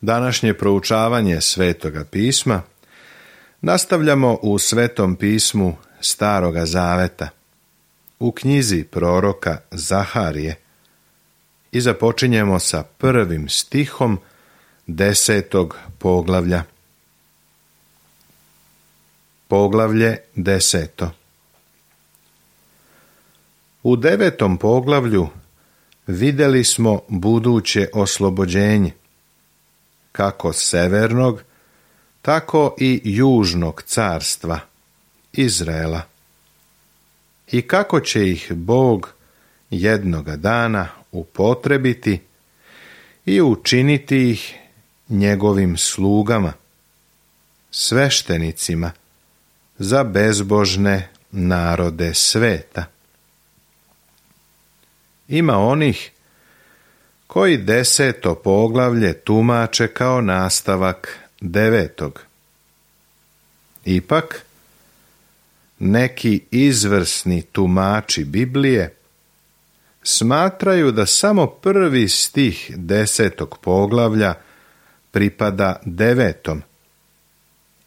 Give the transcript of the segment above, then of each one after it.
Današnje proučavanje Svetoga pisma nastavljamo u Svetom pismu Staroga Zaveta, u knjizi proroka Zaharije i započinjemo sa 1. stihom 10. poglavlja. Poglavlje 10. U 9. poglavlju vidjeli smo buduće oslobođenje, kako severnog, tako i južnog carstva, Izraela, i kako će ih Bog jednoga dana upotrebiti i učiniti ih njegovim slugama, sveštenicima za bezbožne narode sveta. Ima onih koji 10. poglavlje tumače kao nastavak 9. Ipak, neki izvrsni tumači Biblije smatraju da samo 1. stih 10. poglavlja pripada 9.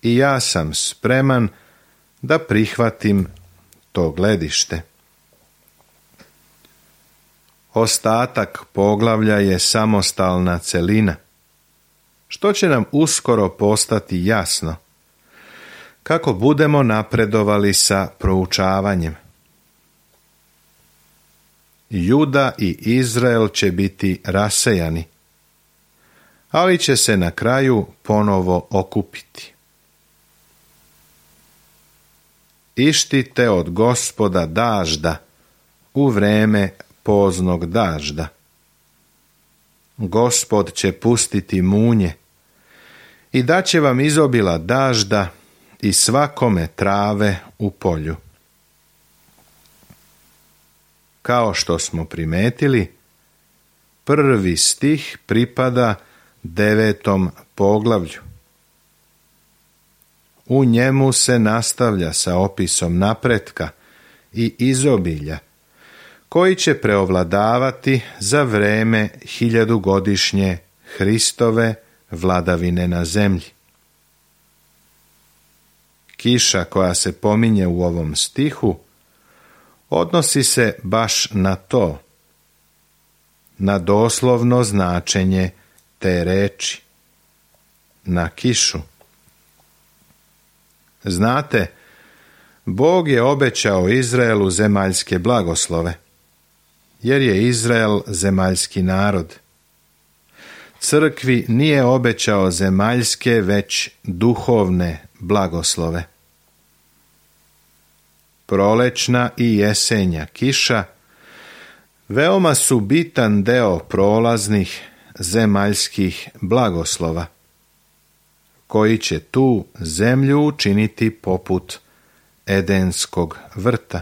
i ja sam spreman da prihvatim to gledište. Ostatak poglavlja je samostalna celina, što će nam uskoro postati jasno kako budemo napredovali sa proučavanjem. Juda i Izrael će biti rasejani, ali će se na kraju ponovo okupiti. Ištite od Gospoda dažda u vreme poznog dažda. Gospod će pustiti munje i daće vam izobila dažda i svakome trave u polju. Kao što smo primetili, 1. stih pripada 9. poglavlju. U njemu se nastavlja sa opisom napretka i izobilja koji će preovladavati za vreme 1000-godišnje Hristove vladavine na zemlji. Kiša koja se pominje u ovom stihu odnosi se baš na to, na doslovno značenje te reči, na kišu. Znate, Bog je obećao Izraelu zemaljske blagoslove, jer je Izrael zemaljski narod. Crkvi nije obećao zemaljske, već duhovne blagoslove. Prolećna i jesenja kiša veoma su bitan deo prolaznih zemaljskih blagoslova, koji će tu zemlju učiniti poput Edenskog vrta.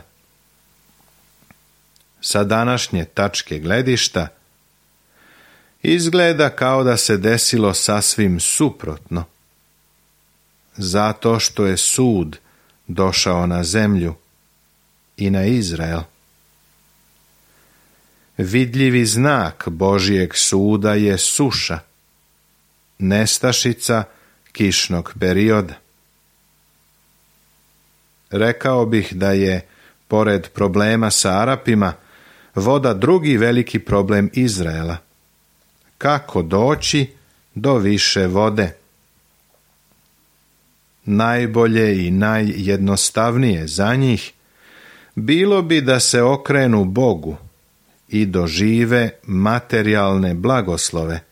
Sa današnje tačke gledišta izgleda kao da se desilo sasvim suprotno, zato što je sud došao na zemlju i na Izrael. Vidljivi znak Božijeg suda je suša, nestašica kišnog perioda. Rekao bih da je, pored problema sa Arapima, voda drugi veliki problem Izraela. Kako doći do više vode? Najbolje i najjednostavnije za njih bilo bi da se okrenu Bogu i dožive materijalne blagoslove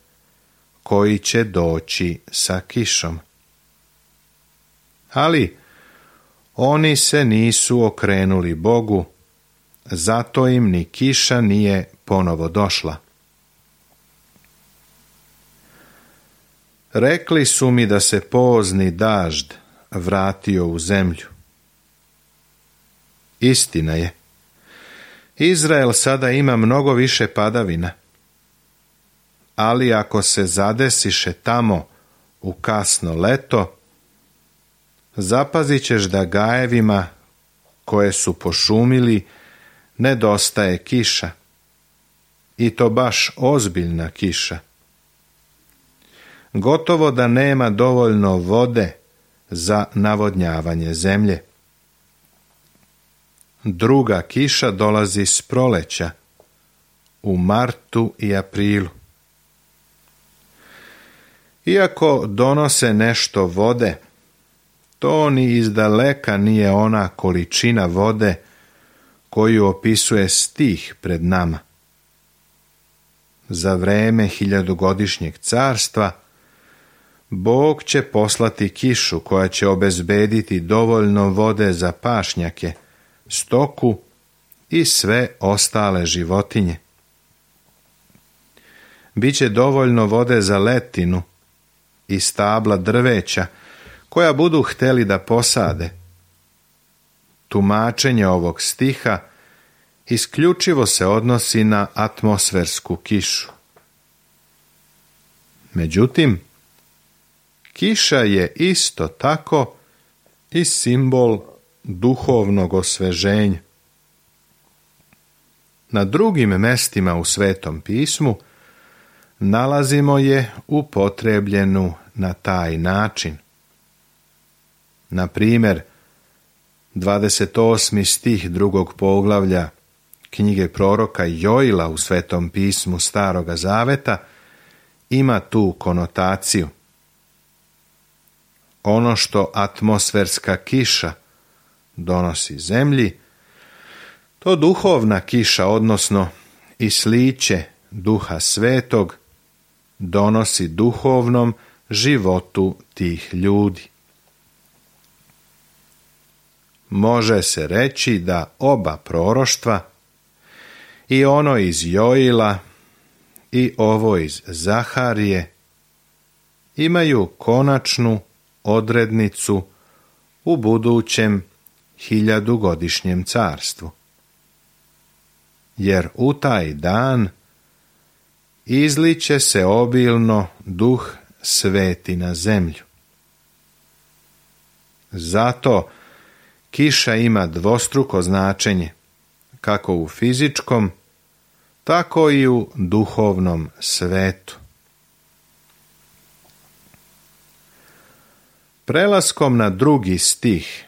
koji će doći sa kišom. Ali oni se nisu okrenuli Bogu, zato im ni kiša nije ponovo došla. Rekli su mi da se pozni dažd vratio u zemlju. Istina je. Izrael sada ima mnogo više padavina, ali ako se zadesiše tamo u kasno leto, zapazit ćeš da gajevima koje su pošumili nedostaje kiša, i to baš ozbiljna kiša. gotovo da nema dovoljno vode za navodnjavanje zemlje. Druga kiša dolazi s proleća, u martu i aprilu. Iako donose nešto vode, to ni izdaleka nije ona količina vode koju opisuje stih pred nama. Za vreme 1000-godišnjeg carstva Bog će poslati kišu koja će obezbediti dovoljno vode za pašnjake, stoku i sve ostale životinje. Biće dovoljno vode za letinu i stabla drveća koja budu hteli da posade. Tumačenje ovog stiha isključivo se odnosi na atmosfersku kišu. Međutim, kiša je isto tako i simbol duhovnog osveženja. Na drugim mestima u Svetom pismu nalazimo je upotrebljenu na taj način. Na primjer, 28. stih 2. poglavlja knjige proroka Joila u Svetom pismu Staroga Zaveta ima tu konotaciju. Ono što atmosferska kiša donosi zemlji, to duhovna kiša, odnosno i sliće Duha Svetog, donosi duhovnom životu tih ljudi. Može se reći da oba proroštva, i ono iz Joila i ovo iz Zaharije, imaju konačnu odrednicu u budućem 1000-godišnjem carstvu. Jer u taj dan izliće se obilno Duh Sveti na zemlju. Zato kiša ima dvostruko značenje, kako u fizičkom, tako i u duhovnom svetu. Prelaskom na drugi stih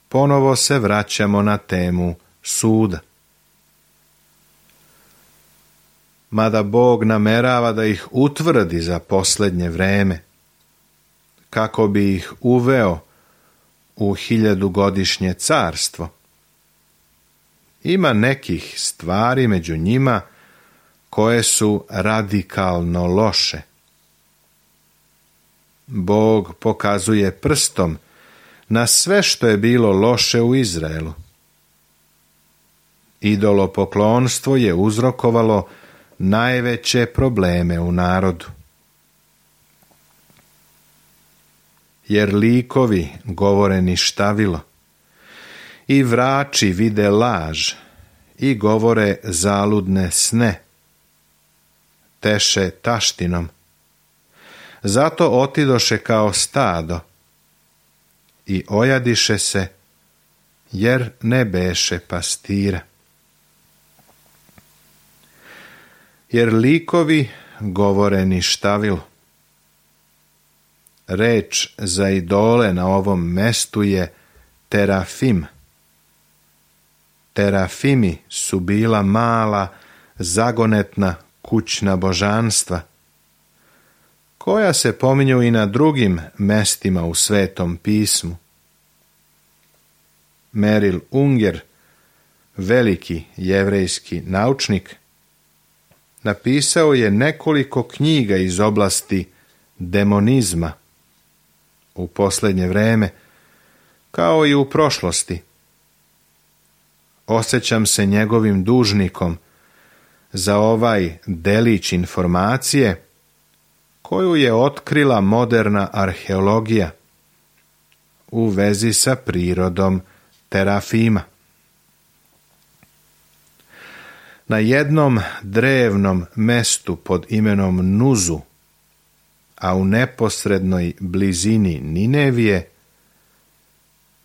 ponovo se vraćamo na temu suda. Mada Bog namerava da ih utvrdi za posljednje vreme, kako bi ih uveo u 1000-godišnje carstvo, ima nekih stvari među njima koje su radikalno loše. Bog pokazuje prstom na sve što je bilo loše u Izraelu. Idolopoklonstvo je uzrokovalo najveće probleme u narodu. Jer likovi govore ništavilo, i vrači vide laž, i govore zaludne sne, teše taštinom. Zato otidoše kao stado i ojadiše se, jer ne beše pastira. Jer likovi govore ništavilo. Reč za idole na ovom mestu je terafim. Terafimi su bila mala, zagonetna kućna božanstva, koja se pominju i na drugim mestima u Svetom pismu. Meril Unger, veliki jevrejski naučnik, napisao je nekoliko knjiga iz oblasti demonizma u posljednje vreme, kao i u prošlosti. Osjećam se njegovim dužnikom za ovaj delić informacije koju je otkrila moderna arheologija u vezi sa prirodom terafima. Na jednom drevnom mestu pod imenom Nuzu, a u neposrednoj blizini Ninevije,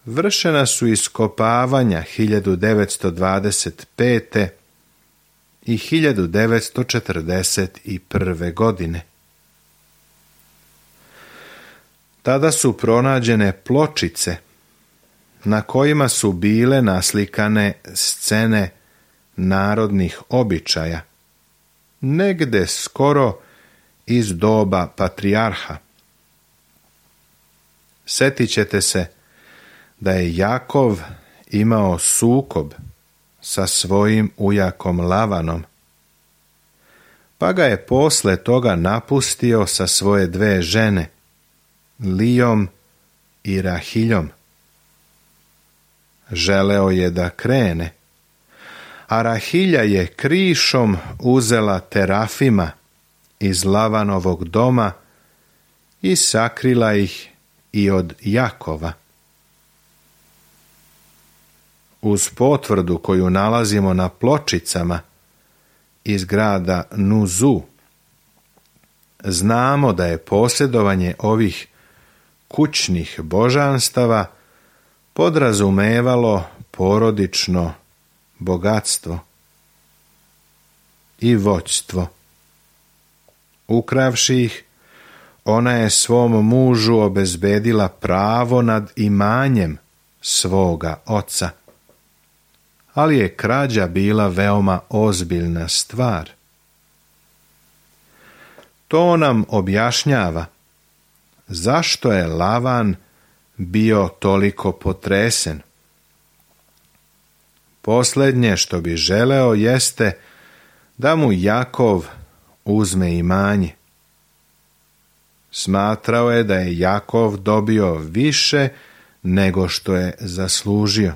vršena su iskopavanja 1925. i 1941. godine. Tada su pronađene pločice na kojima su bile naslikane scene narodnih običaja, negde skoro iz doba patrijarha. Sjetit ćete se da je Jakov imao sukob sa svojim ujakom Lavanom, pa ga je posle toga napustio sa svoje 2 žene, Lijom i Rahiljom. Želeo je da krene, a Rahilja je krišom uzela terafima iz Lavanovog doma i sakrila ih i od Jakova. Uz potvrdu koju nalazimo na pločicama iz grada Nuzu, znamo da je posjedovanje ovih kućnih božanstava podrazumevalo porodično bogatstvo i vođstvo. Ukravši ih, ona je svom mužu obezbedila pravo nad imanjem svoga oca. Ali je krađa bila veoma ozbiljna stvar. To nam objašnjava zašto je Lavan bio toliko potresen. Posljednje što bi želeo jeste da mu Jakov uzme imanje. Smatrao je da je Jakov dobio više nego što je zaslužio.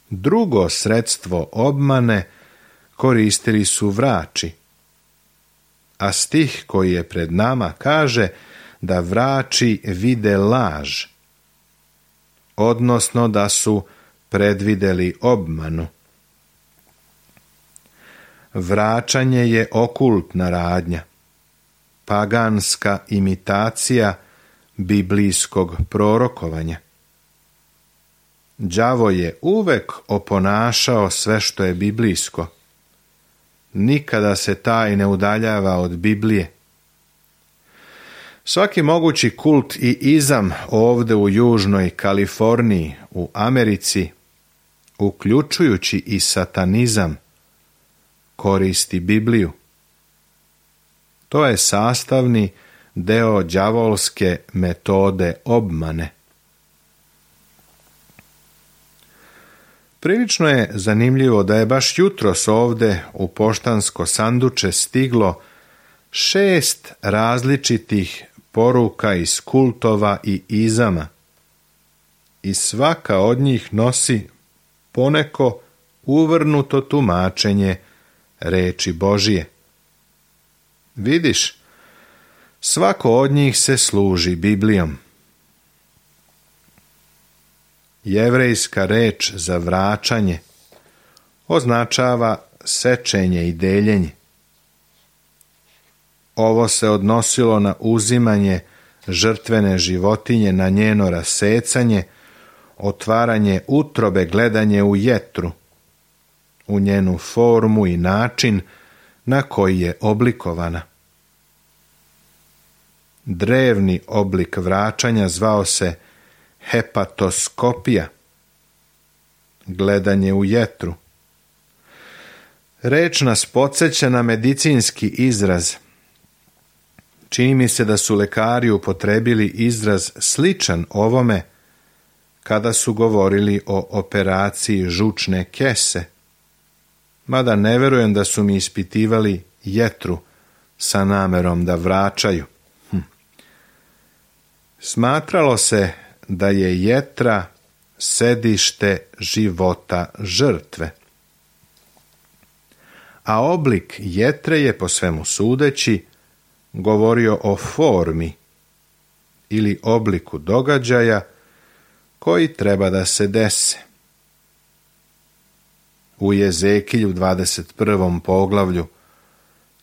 Drugo sredstvo obmane koristili su vrači, a stih koji je pred nama kaže da vrači vide laž, odnosno da su predvideli obmanu. Vraćanje je okultna radnja, paganska imitacija biblijskog prorokovanja. Đavo je uvek oponašao sve što je biblijsko. Nikada se taj ne udaljava od Biblije. Svaki mogući kult i izam ovde u Južnoj Kaliforniji, u Americi, uključujući i satanizam, koristi Bibliju. To je sastavni deo đavolske metode obmane. Prilično je zanimljivo da je baš jutros ovde u poštansko sanduče stiglo 6 različitih poruka iz kultova i izama. I svaka od njih nosi poneko uvrnuto tumačenje reči Božije. Vidiš, svako od njih se služi Biblijom. Jevrejska reč za vraćanje označava sečenje i deljenje. Ovo se odnosilo na uzimanje žrtvene životinje, na njeno rasecanje, otvaranje utrobe, gledanje u jetru, u njenu formu i način na koji je oblikovana. Drevni oblik vraćanja zvao se hepatoskopija, gledanje u jetru. Reč nas podsjeća na medicinski izraz. Čini mi se da su lekari upotrebili izraz sličan ovome kada su govorili o operaciji žučne kese, mada ne verujem da su mi ispitivali jetru sa namerom da vraćaju. Smatralo se da je jetra sedište života žrtve. A oblik jetre je, po svemu sudeći, govorio o formi ili obliku događaja koji treba da se dese. U Jezekilju 21. poglavlju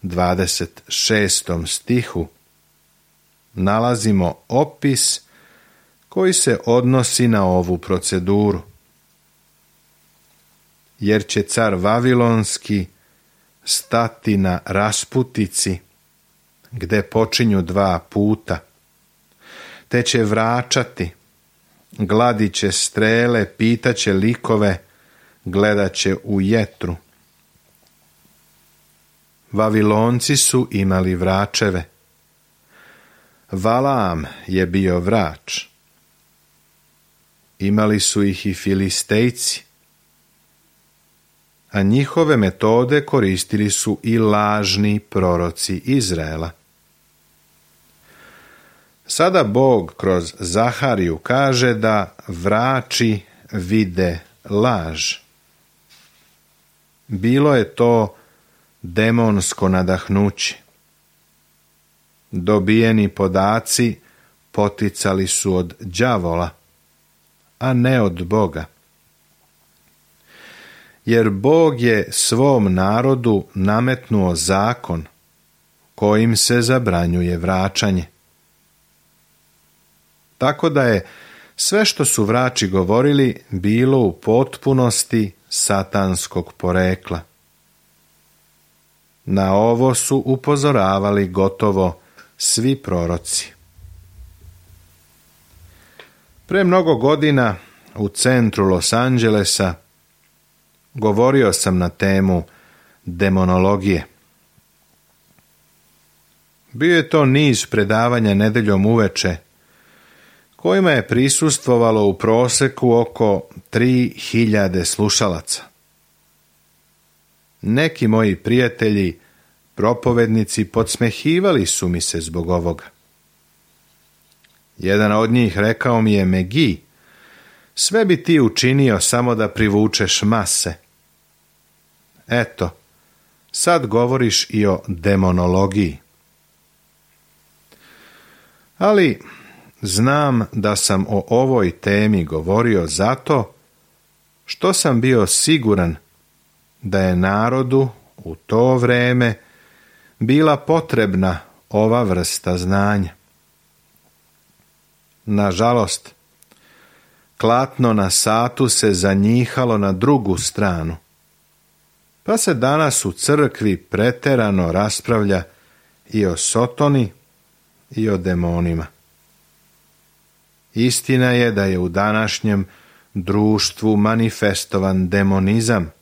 26. stihu nalazimo opis koji se odnosi na ovu proceduru. Jer će car Vavilonski stati na rasputici gde počinju dva puta, te će vračati, gladit će strele, pitaće likove, gledat će u jetru. Vavilonci su imali vračeve. Valaam je bio vrač. Imali su ih i Filistejci, a njihove metode koristili su i lažni proroci Izraela. Sada Bog kroz Zahariju kaže da vrači vide laž. Bilo je to demonsko nadahnuće. Dobijeni podaci poticali su od đavola, a ne od Boga. Jer Bog je svom narodu nametnuo zakon kojim se zabranjuje vraćanje. Tako da je sve što su vrači govorili bilo u potpunosti satanskog porekla. Na ovo su upozoravali gotovo svi proroci. Pre mnogo godina u centru Los Angelesa govorio sam na temu demonologije. Bio je to niz predavanja nedeljom uveče, kojima je prisustvovalo u proseku oko 3000 slušalaca. Neki moji prijatelji, propovednici, podsmehivali su mi se zbog ovoga. Jedan od njih rekao mi je: Megi, sve bi ti učinio samo da privučeš mase. Eto, sad govoriš i o demonologiji. Ali znam da sam o ovoj temi govorio zato što sam bio siguran da je narodu u to vreme bila potrebna ova vrsta znanja. Nažalost, klatno na satu se zanjihalo na drugu stranu, pa se danas u crkvi preterano raspravlja i o Sotoni i o demonima. Istina je da je u današnjem društvu manifestovan demonizam,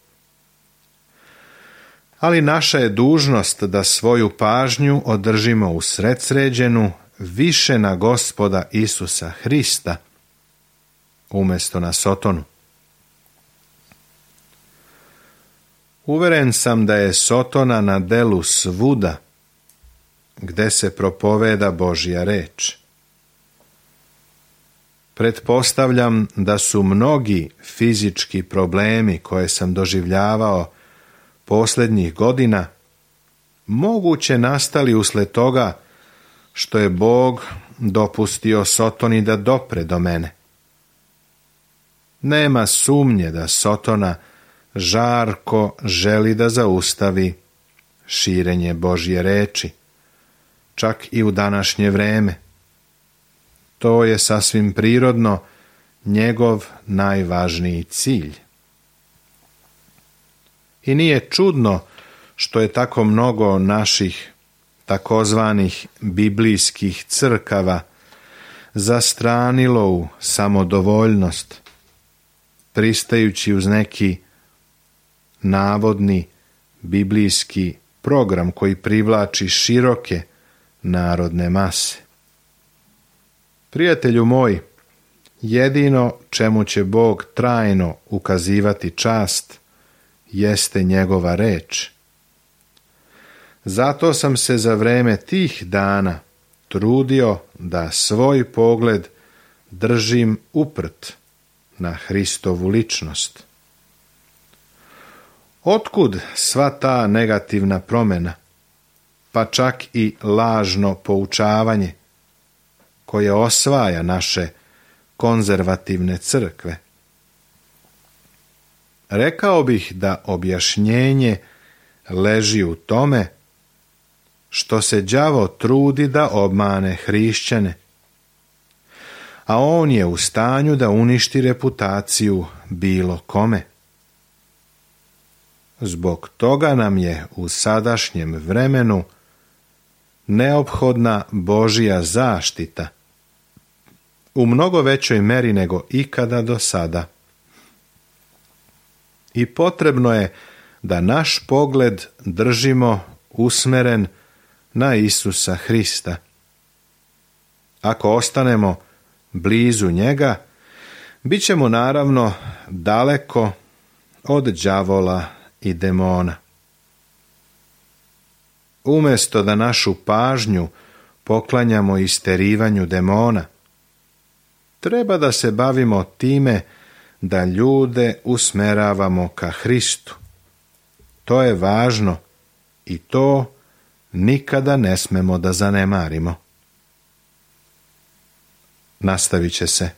ali naša je dužnost da svoju pažnju održimo usredsređenu više na Gospoda Isusa Hrista, umjesto na Sotonu. Uveren sam da je Sotona na delu svuda gde se propoveda Božja reč. Pretpostavljam da su mnogi fizički problemi koje sam doživljavao posljednjih godina moguće nastali usled toga što je Bog dopustio Sotoni da dopre do mene. Nema sumnje da Sotona žarko želi da zaustavi širenje Božje reči, čak i u današnje vreme. To je sasvim prirodno njegov najvažniji cilj. I nije čudno što je tako mnogo naših takozvanih biblijskih crkava zastranilo u samodovoljnost, pristajući uz neki navodni biblijski program koji privlači široke narodne mase. Prijatelju moj, jedino čemu će Bog trajno ukazivati čast jeste njegova reč. Zato sam se za vreme tih dana trudio da svoj pogled držim uprt na Hristovu ličnost. Otkud sva ta negativna promjena, pa čak i lažno poučavanje koje osvaja naše konzervativne crkve? Rekao bih da objašnjenje leži u tome što se đavo trudi da obmane hrišćane, a on je u stanju da uništi reputaciju bilo kome. Zbog toga nam je u sadašnjem vremenu neophodna Božja zaštita u mnogo većoj meri nego ikada do sada. I potrebno je da naš pogled držimo usmeren na Isusa Hrista. Ako ostanemo blizu njega, bit ćemo naravno daleko od đavola i demona. Umjesto da našu pažnju poklanjamo isterivanju demona, treba da se bavimo time da ljude usmeravamo ka Hristu. To je važno i to nikada ne smemo da zanemarimo. Nastavit će se